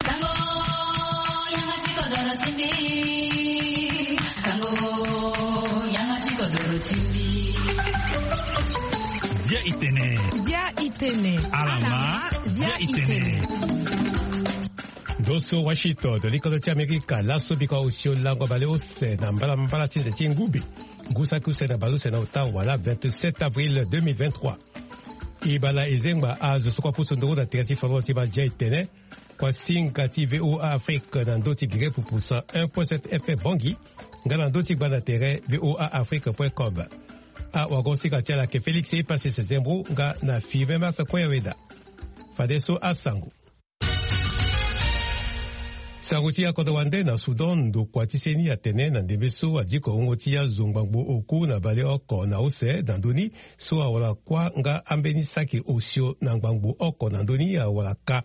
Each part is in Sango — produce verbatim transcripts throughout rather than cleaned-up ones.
Sango, yanga ti kodoro ti mbi. Sango, yanga ti kodoro ti mbi. Zia itene. Zia itene. Alama, zia itene. Ndo so Washington, likodo ti Amerika, laso biko osio lango baleuse na mbalambala ti nze ti ngube. Ngu saki use na baleuse na ota wala vingt-sept avril deux mille vingt-trois. Ibala ezengba azo so kua pusu nduru na tere ti foro ti ba zia itene. Kua singa ti V O A Afrique na ndo ti gere pupusa un point sept F M Bangui, nga na ndo ti gba na tere V O A Afrique point com. Awago sika ti ala ke Félix Epassis Zembo nga na Firmin Martin Koyaweda. Fadeso asango. Sango ti akodro wande na Soudan, ndokua ti seni atene na ndembe so adiko wungo ti azo ngbangbo oku na baleoko na use na ndö ni so awara kuâ nga ambeni saki osio na ngbangbo oko na ndö ni awara ka.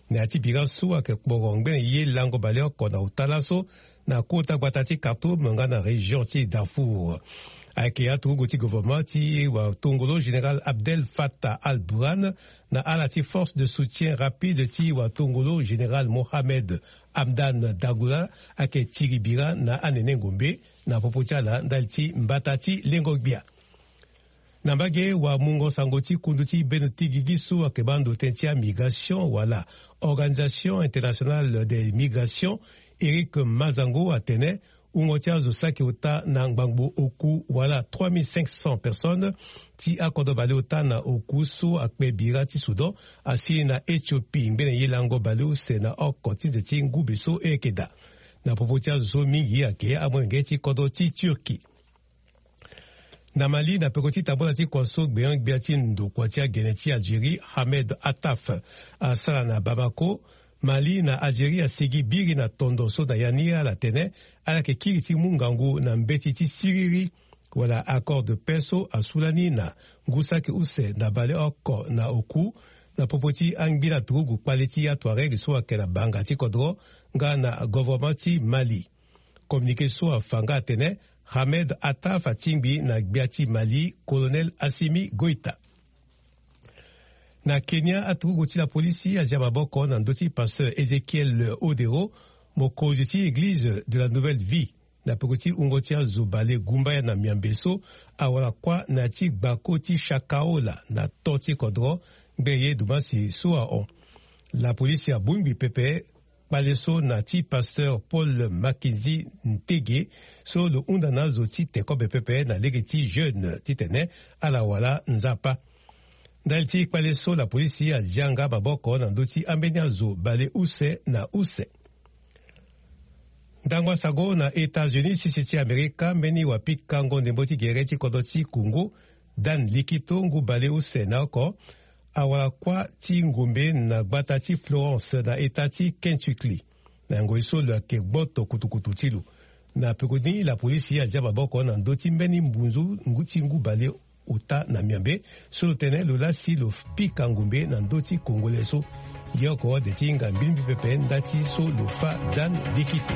Na ya ti bira so ayeke kporo ngbene ye lango baleoko na ota laso na kota gbata ti Khartoum nga na région ti Darfour. Ayeke aturugu ti gouvernement ti watongolo général Abdel Fattah al-Burhan na ala ti force de soutien rapide ti watongolo général Mohamed Hamdan Dagula ayeke tiri bira na anene ngombe na popo ti ala ndali ti mbata ti lengo gbia. Na mbage wamungo sango ti kundu ti bendo ti gigi so ayeke baa ndo tënë ti amigration wala Organisation Internationale des Migrations, Eric Mazango atene wungo ti azo saki ota na ngbangbo oku wala trois mille cinq cents personnes ti akodro baleota na oku so akpe bira ti Soudan asi na Éthiopie ngbene ye lango baleuse na oko ti nze ti ngube so e yeke daa. Na popo ti azo so mingi ayeke amolenge ti kodro ti Turquie. Na Mali, na peko ti tambula ti kua so gbenyo-gbia ti ndokua ti agene ti Algérie, Hamed Attaf, asara na Bamako, Mali na Algérie asigi biri na tondo so na ya ni ala tene ala yeke kiri ti mu ngangu na mbeti ti siriri wala accord de paix so asu lani na ngu saki use na baleoko na oku, na popo ti angbila turugu kpale ti atuareg so ayeke na banga ti kodro nga na governement ti Mali. Communiqué so afa nga atene Hamed Attaf atingbi na gbia ti Mali, Colonel Assimi Goïta. Na Kenya, aturugu ti lapolisi azia maboko na ndö ti pasteur Ézéchiel Odero, mokonzi ti Église de la Nouvelle Vie, na peko ti wungo ti azo bale gumbaya na miambe so awara kuâ na ya ti gbako ti Shakahola na to ti kodro ngbene ye dumasi so ahon. Lapolisi abongbi pepe kpale so na ti pasteur Paul Mackenzie Ntege, so lo hunda na azo ti te kobe pepe na lege ti jeune titene ala wara Nzapa. Ndali ti kpale so lapolisi azia nga maboko na ndö ti ambeni azo bale use na use. Ndango asango na États-Unis, sese ti Amerika, mbeni wapikango ndembo ti gere ti kodro ti Congo, Dan Likito, ngu bale use na oko, awara kuâ ti ngombe na gbata ti Florence na eta ti Kentucky, na ngoi so lo yeke gboto kutukutu ti lo. Na peko ni lapolisi azia maboko na ndö ti mbeni mbunzu ngu ti ngu bale ota na miambe so lo tene lo lasi lo pika ngombe na ndö ti Congolais so. Ye oko ade ti hinga mbilimbi pepe nda ti so lo fâ Dan Likito.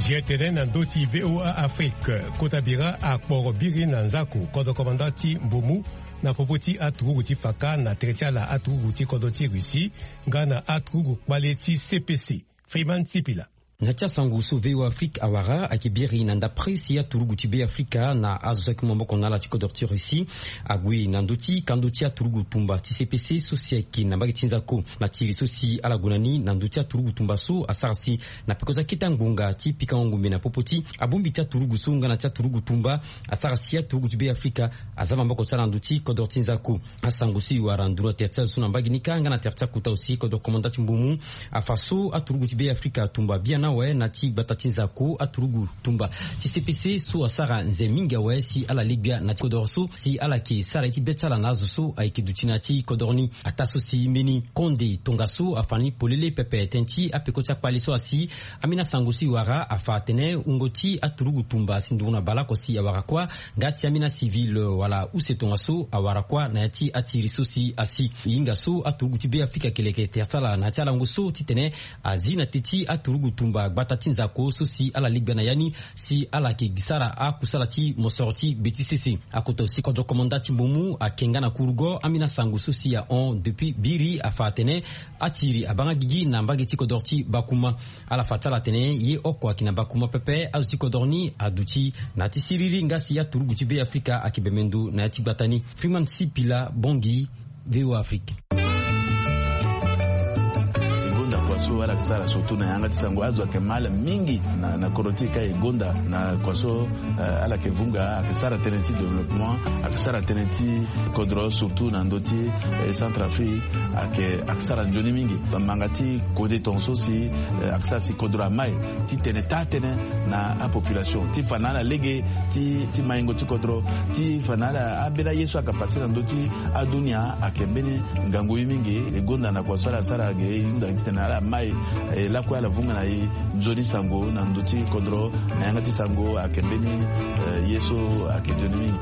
Zia tene na ndö ti V O A Afrique, kota bira akporo biri na nzako kodro komanda ti Mbomu na popo ti aturugu ti faka na tere ti ala aturugu ti kodro ti Russie nga na aturugu kpale ti C P C. Freeman Sipila. Na ti asango so V O A Afrique awara ayeke biri na ndapre si aturugu ti Be Afrika na azo so ayeke mu maboko na ala ti kodro ti Russie ague na ndö ti kando ti aturugu tumba ti C P C so si ayeke na mbage ti nzako. Na ti iri so si ala gue na ni na ndö ti aturugu tumba so asara si na peko so akete ngbonga ti pikango ngombe na popo ti abongbi ti aturugu so nga na ti aturugu tumba asara si aturugu ti Be Afrika aza maboko ti ala na ndö ti kodro ti nzako. Asango so e wara nduru na tere ti azo so na mbage ni kâ nga na tere ti akota aussi kodro komanda ti Mbomu afa so aturugu ti Be Afrika atumba biana awe na ti gbata ti nzako aturugu tumba ti C P C so asara nze mingi awe si ala legbia na ti kodoro so si ala yeke sara ye ti be ti ala na azo so ayeke duti na ya ti kodoro ni. Ataa so si mbeni konde tongaso afa ni polele pepe tënë ti apeko ti akpali so asi. Ambeni asango so e wara afa atene wungo ti aturugu tumba asi nduru na baleoko si awara kuâ. Nga si ambeni acivil wala use tongaso awara kuâ na ya ti atiri so si asi. E hinga so aturugu ti Be Afrika ayeke leke tere ti ala na ya ti alango so titene azi na te ti aturugu tumba gbata ti nzako so si ala legbia na ya ni si ala yeke sara akusala ti mosoro ti be ti sese. Akota aussi kodro komanda ti mbumu ake nga na kurugo ambeni asango so si ahon depuis biri afa atene atiri abaa nga gigi na mbage ti kodro ti Bakuma. Ala fa ti ala atene ye oko ayeke na Bakuma pepe, azo ti kodro ni aduti na ya ti siriri nga si aturugu ti Be Afrika ayeke bembe ndo na ya ti gbata ni. Freeman Sipila, Bangui, V O A Afrique. E gonda kua so ala yeke sara surtout na yanga ti sango, azo ayeke mal mingi na, na kodro ti e ka e gonda na kua so, eh, ala yeke vunga, ayeke sara tënë ti développement, ayeke sara tënë ti kodro surtout na ndö ti, eh, Centrafrique, ayeke, ayeke sara nzoni mingi. Bamanga ti kode tongaso si, eh, ayeke sara si kodro amai ti tene taa tënë na apopulation ti fa na ala lege ti, ti maingo ti kodro, ti fa na ala ambeni aye so ayeke pase na ndö ti adunia ayeke mbeni ngangu ye mingi. E gonda na kua so ala sara ge e hunda titene ala mai, e lakue ala vunga na e nzoni sango na ndö ti kodro na yanga ti sango ayeke mbeni, eh, ye so ayeke nzoni mingi.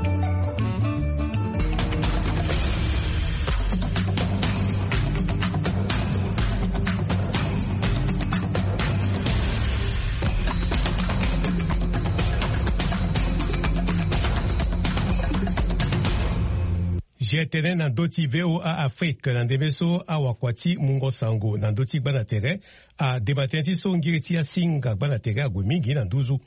Zia tënë na ndö ti V O A Afrique na ndembe so awakua ti mungo sango na ndö ti gbanda tere adema tënë ti so ngiri ti asinga gbanda tere ague mingi na nduzu.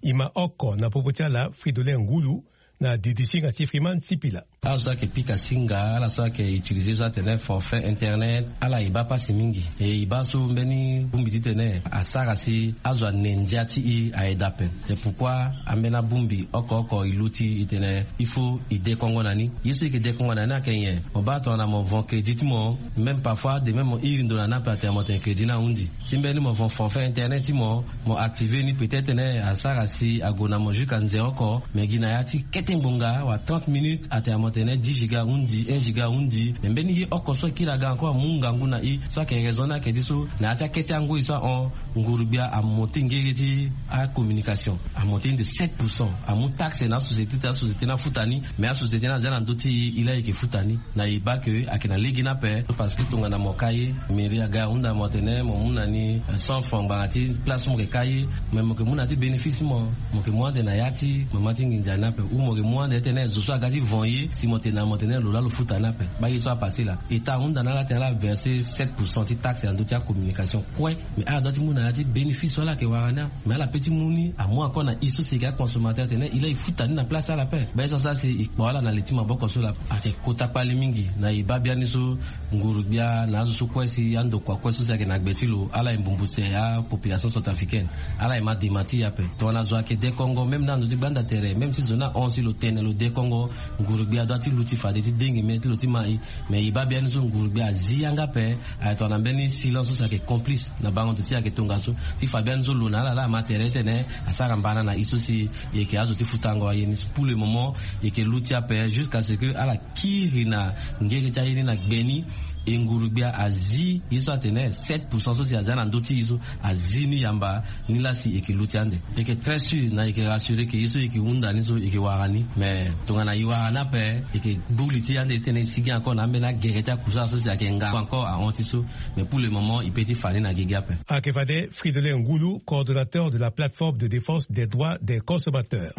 E ma oko na popo ti ala Fridolin Ngulu na didisinga ti Freeman Sipila. Ala so ayeke pika singa, ala so ayeke utiliser so atene forfait internet, ala e baa pasi mingi. E e baa so mbeni bongbi titene asara si azo ane ndia ti e aye daa ape. C'est pourquoi ambeni abongbi oko oko e luti e tene il faut e dekongo na ni. Ye so e yeke dekongo na ni ayeke nyen? Mo baa tongana mo vend crédit ti mo, même parfois de même mo iri ndo na ni ape atene mo tene crédit ni ahunzi. Ti mbeni mo vend forfait internet ti mo, mo activer ni peut-être tene asara si ague na mo jusqu'à nze oko, mais gi na ya ti kete ngbonga wala trente minutes atene mo tene dix giga ahunzi, un giga ahunzi. Mais mbeni ye oko so akiri aga encore amu ngangu na e so ayeke raison ni ayeke ti so na ya ti akete angoi so ahon, ngurugbia amonte ngege ti acommunication, amonte ni de sept pour cent. Amu taxe na asociété ti asociété ni afuta ni, mais asociété ni aza na ndö ti e, e laa e yeke futa ni. Na e baa ke ayeke na lege ni ape, parce que tongana mo ka ye, mairie aga ahunda mo atene mo mu na ni, eh, cent francs ngbanga ti place so mo yeke ka ye, mais mo yeke mu na ya ti bénéfice ti mo, mo yeke mu ande na ya ti mama ti nginza ni ape, ou mo yeke mu ande titene zo so aga ti vend ye si mo tene na mo tene lo laa lo futa ni ape. Baa ye so apasse laa. État ahunda na ala tene ala verser sept pour cent ti taxe na ndö ti acommunication kue. Mais ala doit ti mu na ya ti bénéfice so ala yeke wara ni. Mais ala peut ti mu ni amu encore na e so si e yeke aconsommateur tene e laa e futa ni na place ti ala ape. Baa ye so asara si e kpo ala na li ti maboko so laa ayeke kota kpale mingi. Na e baa biani so ngurugbia na azo so kue si andokua kue so si ayeke na gbe ti lo, ala e mbumbuse apopulation centrafricaine. Ala e ma dema ti e ape. Tongana zo ayeke dekongo même na ndo ti gbanda tere, même si zo ni ahon si lo tene lo dekongo, ngurugbia adoit ti luti fade ti dengi mê ti lo ti ma e. Mais e baa biani so ngurugbia azi yanga ape. Aye tongana mbeni silence so si ayeke complice na bango ndo ti e ayeke tongaso. Ti fa biani so lo na ala laa ama tere titene asara mbana na e so si e yeke azo ti futango aye ni. Pour le moment e yeke luti ape jusqu'à ce que ala kiri na ngere ti aye ni na gbe ni. E ngurugbia azi ye so atene sept pour cent so si aza na ndö ti e so azi ni yamba. Ni laa si e yeke luti ande. E yeke très sûr na e yeke rassurer ke ye so e yeke hunda ni so e yeke wara ni. Mais tongana e wara ni ape, e yeke gbu li ti e ande titene e sigi encore na ambeni agere ti akusala so si ayeke nga encore ahon ti so. Mais pour le moment e peut ti fa ni na gigi ape. Ayeke fade Fridolin Ngulu, coordonnateur de la plateforme de défense des droits des consommateurs.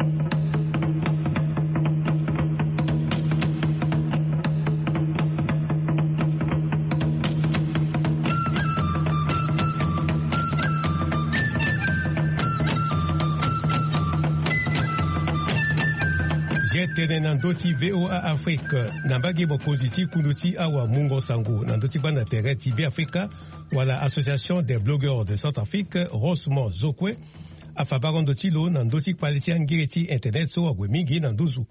Zia tene na ndö ti V O A Afrique, na mbage mokonzi ti kundu ti awamungo sango na ndö ti gbanda tere ti Be Afrika, wala Association des blogueurs de Centrafrique, Rosmo Zokwe, afa baro ndo ti lo na ndö ti kpale ti angere ti internet so ague mingi na nduzu.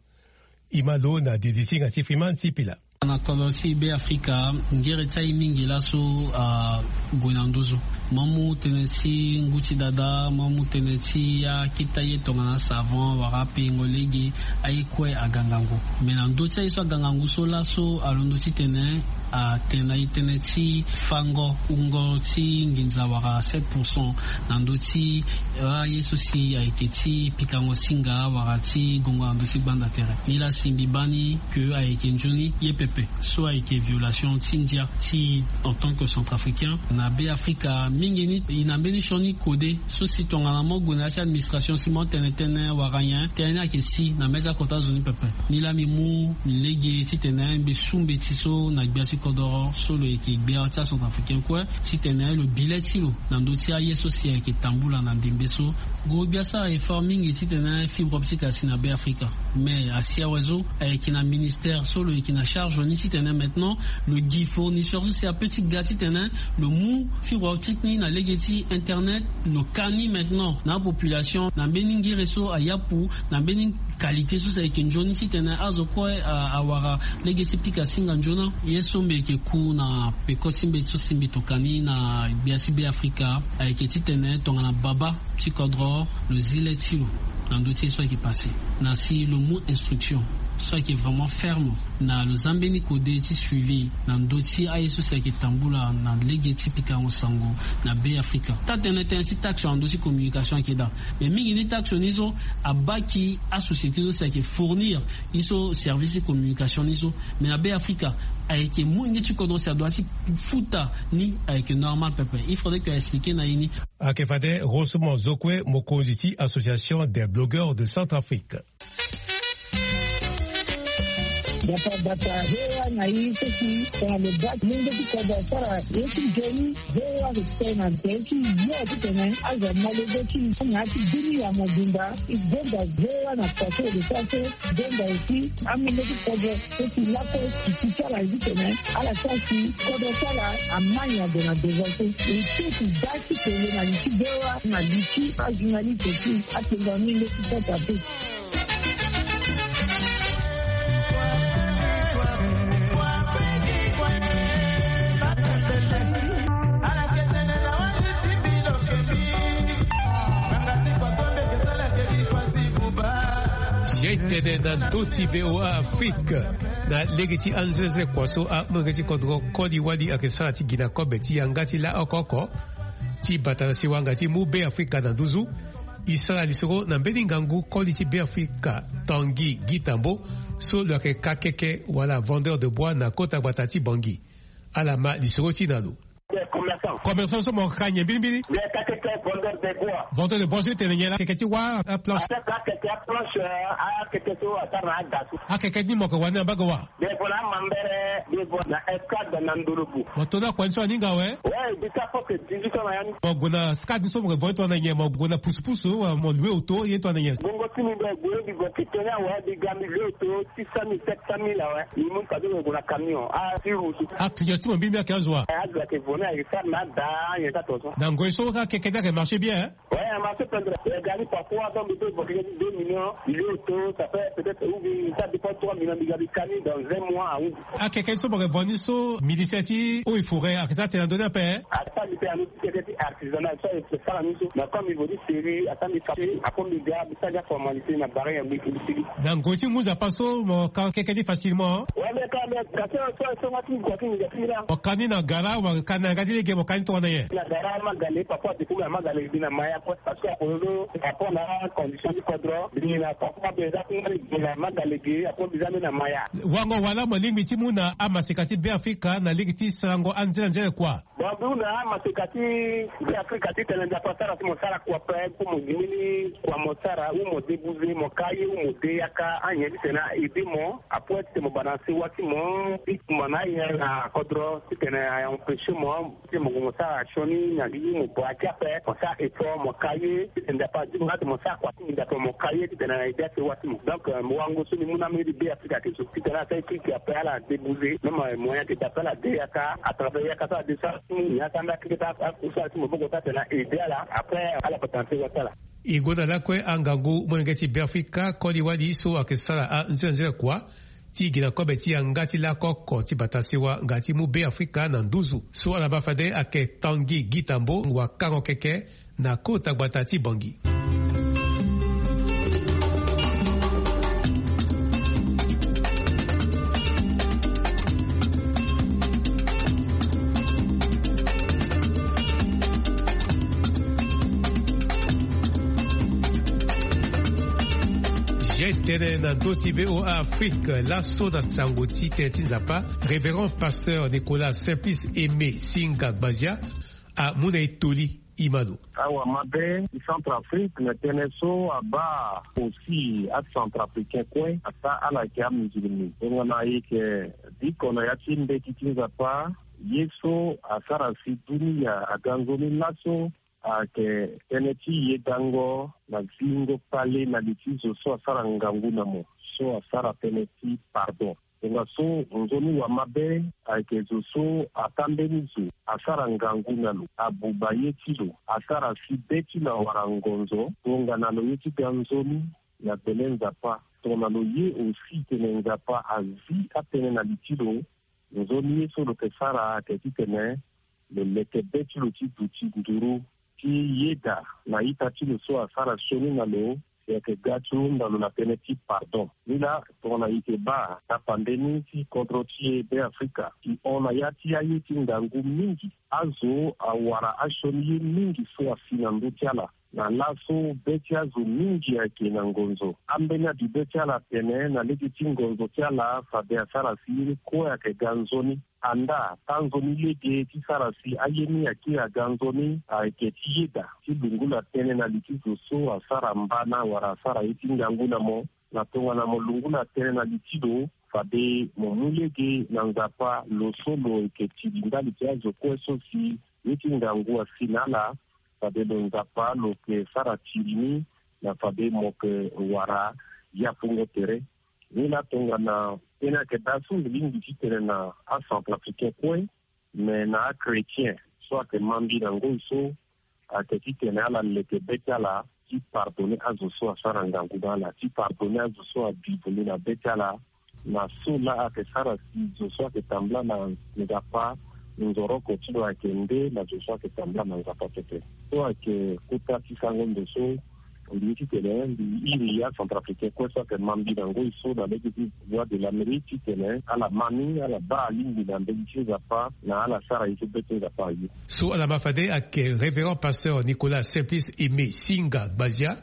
E ma lo na didisinga ti Freeman Sipila. Na kodro ti Beafrika, ngere ti aye mingi laso ague na nduzu. Mo mu tënë ti ngu ti dada, mo mu tënë ti akita ye tongana savon wala apengo lege, aye kue aga ngangu. Me na ndö ti aye so aga ngangu so laso alondo titene atene na e tënë ti fango wungo ti nginza wala sept pour cent na ndö ti aye so si ayeke ti pikango singa wala ti gongo na ndö ti gbanda tere. Nilaa si mbi baa ni ke ayeke nzoni ye pepe so ayeke violation ti ndia ti en tant que centrafricain na Beafrika mingi ni. E na mbeni sioni kode so si tongana mo gue na ya ti administration si mo tene tënë wala nyen, tënë ni ayeke si na mê ti akota zo ni pepe. Nilaa mbi mu lege titene mbi su mbeti so na gbia ti kodoro so lo yeke gbia ti acentrafricain kue, titene lo bi le ti lo na ndö ti aye so si ayeke tambula na ndembe so. Gue gbia asara effort mingi titene fibre optique asi na Beafrika. Me asi awe so ayeke na ministère so lo yeke na charge ni titene maintenant lo gi fournisseur so si ape ti ga titene lo mu fibre optique ni na lege ti internet, lo ka ni maintenant na apopulation na mbeni ngere so ayapu na mbeni qualité so si ayeke nzoni titene azo kue awara lege ti pika singa nzoni. Ye so mbi yeke ku na peko ti mbeti so si mbi toka ni na gbia ti Beafrika ayeke titene tongana baba ti kodro lo zi le ti lo na ndö ti ye so ayeke passé, na si lo mu instruction so ayeke vraiment ferme na lo za mbeni kode ti suivi na ndö ti aye so si ayeke tambula na lege ti pikango sango na Beafrika. Taa-tënë tënë ti taxe na ndö ti communication ayeke daa. Me mingi ni taxe ni so abaa ki asociété so si ayeke fournir ni so service ti communication ni so. Me na Beafrika ayeke molenge ti kodro si adoit ti futa ni ayeke normal pepe. Il faudrait que a expliquer na e ni. Ayeke fade Rosemond Zokwe, mokonzi ti Association des blogueurs de Centrafrique. Bata bata he wa na i so si tongana lo baa ti mungo ti kodro asara ye ti nzoni. He wa respect na nte ti yo titene azo amolenge ti i na ya ti bini ya mobimba. I gonda he wa na kua so e lo sara so. Gonda aussi amungo ti kodro so si lakue ti ti ti ala ye titene ala sara si kodro ti ala amai ade na devant so. E so ti baa ti tene na li ti he wa na li ti ajournaliste ti atengo amungo ti kodro ape. Ye tene na ndö ti VOA Afrique na lege ti anzenzekua so amolenge ti kodro koli wali ayeke sara ti gi na kobe ti yanga ti la oko oko ti bata na siwanga ti mu Beafrika na nduzu. E sara lisoro na mbeni ngangu koli ti Beafrika Tanguy Guy Tambo so lo yeke kakeke wala vendeur de bois na kota gbata ti Bangui. Ala ma lisoro ti na lo. Commerçant so mo ka nyen mbirimbiri? Vendeur de bois so e tene nyen la? Akeke ti wâ, aplanche? Akeke ti aplanche. Akeke so asara na ada so. Akeke ni mo yeke wani na mbage wâ? Devant na amambere, devant na escadre na ndolobu. Mo to ni akua ni so aninga awe? Ouais, jusqu'à presque dix-huit ans na ya ni. Mo gue na escadre ni so mo yeke vo ni tongana nyen? Mo gue na pusu pusu wala mo loue auto ye tongana nyen? Bongo ti mbi mbi gue mbi gue ti tene awe mbi ga mbi loue auto six cent mille, sept cent mille awe. Mbi mu ni fade mo gue na camion. Ah, ti route. Aclient ti mo mbirimbiri ayeke azo wa? Eh, azo ayeke vo ni ayeke sara na ada, anyen ti ato so. Na ngoi so akeke ni ayeke marché bien, hein? Ouais, a marché pendere. E ga ni parfois donc mbi peut évoquer deux millions, mbi loue auto, ça fait peut-être, ou bien ça dépend, trois millions, mbi ga mbi ka ni dans un mois, ah oui. Akeke ni so mo yeke vo ni so, ministère ti eaux et forêts ayeke sara tënë na ndö ni ape, hein? Asara mbi tënë na ndö ti keke ti artisanat so ayeke sara ni so. Mais comme mbi vo ni seri, asara mbi ka, après mbi ga mbi sara ni aformalité na barrière mbi mbi sigi. Na ngoi ti ngu nzapa so mo ka keke ni facilement? Ouais, mais quand même, ka so so so nga ti mbi kua ti mbi ga ti mbi laa. Mo ka ni na gara wala ka ni na yanga ti lege, mo ka ni tongana nyen? Na gara Magale, parfois depuis na Magale mbi na Maya kue. Parce que akololo, par rapport na condition ti kodro, mbi na papa mbi eza ti ngai mbi na Magale ge, après mbi za mbi na Maya. Wango wala mo lingbi ti mu na amaseka ti Beafrika na lege ti sarango anzere anzere kua? Bon, mbi mu na amaseka ti Beafrika titene Nzapa asara ti mo sara kua ape, pour mo gi mbeni kua mo sara, ou mo débouser, mo ka ye, ou mo de yaka, anyen titene a aider mo, après titene mo baa na sewa ti mo, ti kumba na aye na kodro, titene a empêcher mo. Ti mo gue mo sara sioni na gigi mo baa ti ape, mo sara effort mo ka ye, titene Nzapa azi mo nga ti mo sara kua ti nginza ape mo ka ye, titene na aider asewa ti mo. Donc, euh, mo wango so mbi mu na amolenge ti Beafrika ayeke so, titene asara ye kiki ape ala débouser, même, euh, moyen ayeke daa ape ala de yaka, à travers yaka so ala de sara ti mo, ni asara mbi akeke ti akusala ti maboko so atene na aider ala, après, ala bata na sewa ti ala. E gue na lakue angangu molenge ti Beafrika koli wali so ayeke sara anzere anzere kua. ti gi na kobe ti yanga ti lako oko ti bata sewa nga ti mu Beafrika na nduzu. So ala baa fade ayeke Tanguy Guittambo, wakango keke na kota gbata ti Bangui. Ye tënë na ndö ti V O A Afrique, laso na sango ti tënë ti Nzapa, Révérend Pasteur Nicolas Simplice Aimé Singa Gbazia amu na e toli. Imano. Awa mabe ti Centrafrique na tënë so abaa aussi aCentrafricain kue, ataa ala yeke amusulmi. Tongana e yeke biko na ya ti mbeti ti Nzapa, ye so asara si dunia aga nzoni laso ayeke tënë ti yedango na zingo kpale na li ti zo so asara ngangu na mo, so asara tënë ti pardon. Tongaso nzoni wa mabe ayeke zo so ataa mbeni zo, asara ngangu na lo, abuba ye ti lo, asara si be ti lo awara ngonzo, tongana lo ye ti ga nzoni na gbele Nzapa. Tongana lo ye aussi tene Nzapa azi atënë na li ti lo, nzoni ye so lo yeke sara ayeke titene lo leke be ti lo ti duti nduru ti yeda na ita ti lo so asara sioni na lo, si ayeke ga ti hunda lo na tënë ti pardon. Nilaa, tongana e yeke baa tapande ni ti kodro ti e Beafrika, e hon na ya ti aye ti ngangu mingi. Azo awara asioni ye mingi so asi na ndö ti ala. Na laso be ti azo mingi ayeke na ngonzo. Ambeni abi be ti ala atene na lege ti ngonzo ti ala fade asara si ye ni kue ayeke ga nzoni. Andaa, taa nzoni lege ti sara si aye ni akiri aga nzoni ayeke ti yeda, ti lungula tënë na li ti zo so asara mbana wala asara ye ti ngangu na mo. Na tongana mo lungula tënë na li ti lo, fade mo mu lege na Nzapa, lo so lo yeke tiri ndali ti azo kue so si ye ti ngangu asi na ala. Fade lo Nzapa lo yeke sara tiri ni, na fade mo yeke wara yapungo tere. Nilaa, tongana tënë ayeke daa so mbi lingbi ti tene na aCentrafricain kue, me na achrétien so ayeke ma mbi na ngoi so, ayeke titene ala leke be ti ala ti pardonner azo so asara ngangu na ala, ti pardonner azo so abi vundu na be ti ala. Na so laa ayeke sara si zo so ayeke tambula na Nzapa, nzoroko ti lo ayeke nde na zo so ayeke tambula na Nzapa pepe. So ayeke kota ti sango ndo so mbi ye titene mbi iri aCentrafricain kue so ayeke ma mbi na ngoi so na lege ti Voix de l'Amérique titene ala ma ni, ala baa alingbi na mbeni ti Nzapa, na ala sara ye so be ti Nzapa aye. So ala ma fade ayeke Révérend Pasteur Nicolas Simplice Aimé Singa Gbazia.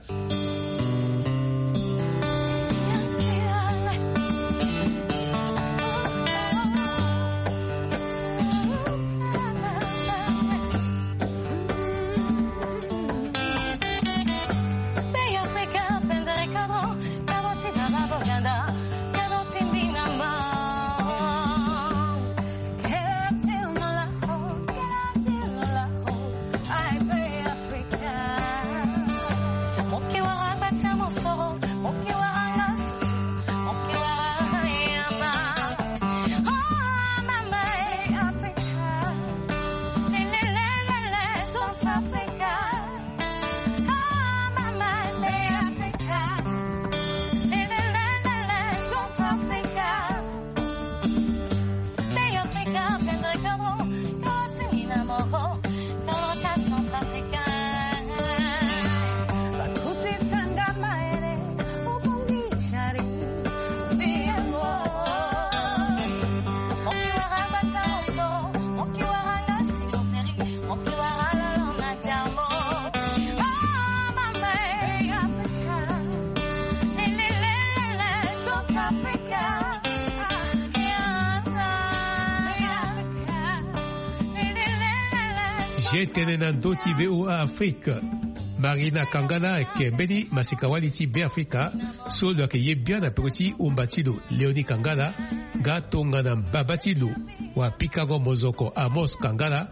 Ye tënë na ndö ti V O A Afrique. Marina Kangala ayeke mbeni masika-wali ti Beafrika so lo yeke ye bian na peko ti hunda ti lo, Léonie Kangala, nga tongana mbaba ti lo wapikango mozoko Amos Kangala,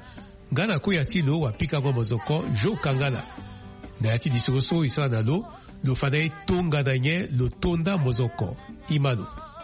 nga na koya ti lo wapikango mozoko Jo Kangala. Na ya ti lisoro so e sara na lo, lo fa na e tongana nyen lo to nda mozoko. Imano.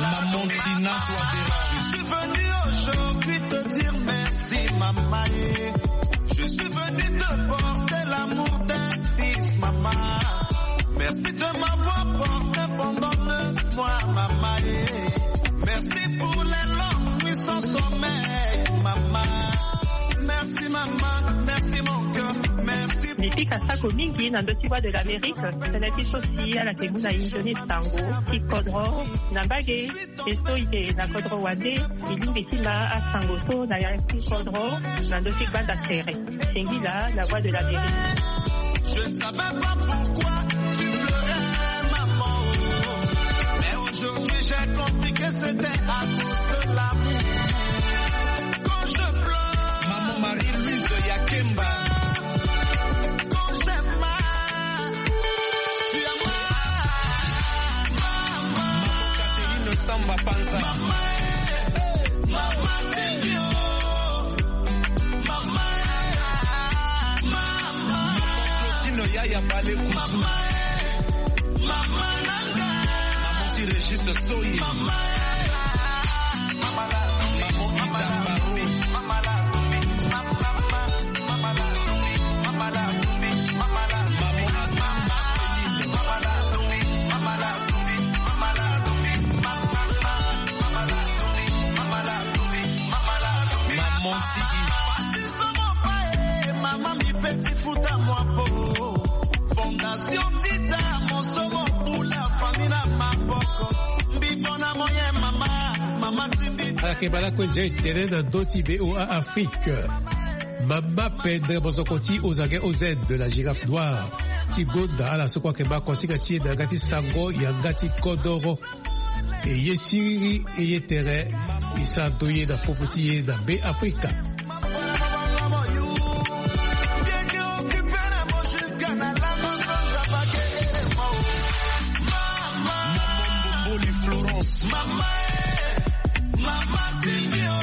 Maman Tina Touadéra. Je suis venu aujourd'hui te dire merci, maman. Je suis venu te porter l'amour d'un fils, maman. Merci de m'avoir porté pendant neuf mois, maman. Merci pour les longues nuits sans sommeil, maman. Merci, maman. Merci, mon cœur. Merci. Lipika sako mingi na ndö ti Voix de l'Amérique. Tene ti so si ala ke mu na inzo ni sango ti kodro na mbage. Esto ite na kodro wande. Elingbi ti ma asango so na ya ti kodro na ndö ti gbanda tere. Singila, la Voix de l'Amérique. Je ne savais pas pourquoi tu pleurais, maman. Mais aujourd'hui, j'ai compris que c'était à cause de l'amour. Quand je pleure, maman Marie-Louise Yakemba. Quand j'ai mal, tu as mal. Maman Catherine Samba Panza. Maman, maman, Seigneur. Maman, maman. Maman Claudine Yaya Bale Kusu. Maman, maman nanga. Maman ti Régis Soyi. Maman, maman Ida Barros. Maman Abdou Marceline. Maman Tiki. Mama mi peti futa mwa po. Fondation Tita, mosomo bula famina maboko. Mbito na moye mama, mama timbi. Ala ke bala kue zia e tene na ndö ti VOA Afrique. Mama Pendre, mozoko ti Ozange Ozen de la Girafe Noire, ti gonda ala so kue ayeke ma kosinga ti e na yanga ti sango yanga ti kodoro. E ye siriri e ye tere. E sara ndo ye na popo ti ye na Be Afrika. Mambo Mboli Florence. Mama, eh, mama Tinio.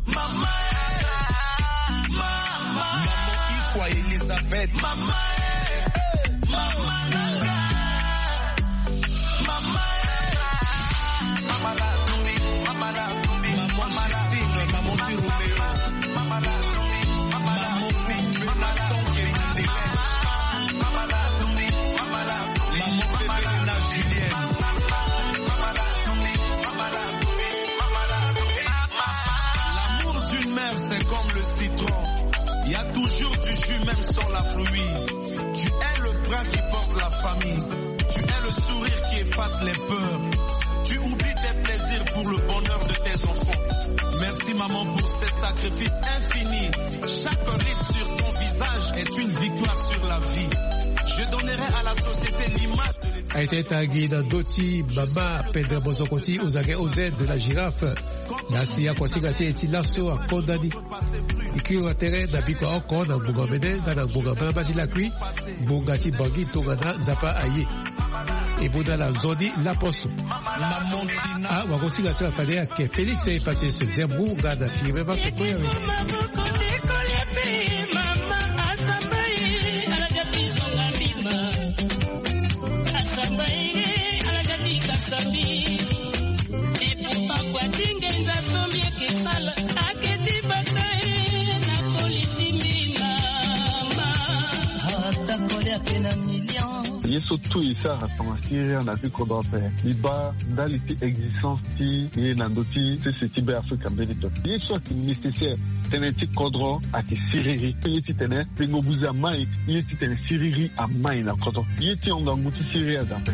Mama, eh, mama. Mama Ikwa Elizabeth. Mama, eh, mama Nanga. Mama, eh, mama Latumbi, mama Latumbi. Maman Justine, maman ti Roméo. Maman Fumbe na Songe Madeleine. Maman Febele na Julienne. L'amour d'une mère, c'est comme le citron. Il y a toujours du jus, même sans la pluie. Tu es le bras qui porte la famille. Tu es le sourire qui efface les peurs. Tu oublies tes plaisirs pour le bonheur de tes enfants. Merci, maman, pour ces sacrifices infinis. Chaque ride sur ton visage est une victoire sur la vie. Je donnerai à la société l'image de l'éducation. Aye ti e tangi na ndö ti mama Pedre Mozoko ti Ozage Oz de la Girafe. Na si akosinga ti e ti laso akonda ni. E kiri wa tere na bikua oko na ngbonga mene nga na ngbonga mbala mbala ti lakui. Ngbonga ti Bangui tongana Nzapa aye. E mu na ala nzoni laposo. Ah, wakosinga ti ala fade ayeke Félix e pase seizième round nga na firi même so koya we. Ye so tout e sara tongana siriri na ti kodro ape. Mbi baa ndali ti existence ti ye na ndö ti sese ti Be Afrika mbeni pepe. Ye so ayeke nécessaire tënë ti kodro ayeke siriri. Ye titene pengo buze amai, ye titene siriri amai na kodro. Ye ti hon ngangu ti siriri aza ape.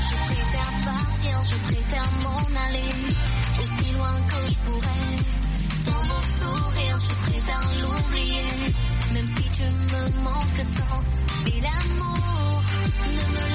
Je préfère partir, je préfère m'en aller aussi loin que je pourrais. Sans mon sourire, je préfère l'oublier. Même si tu me manques tant, mais l'amour ne me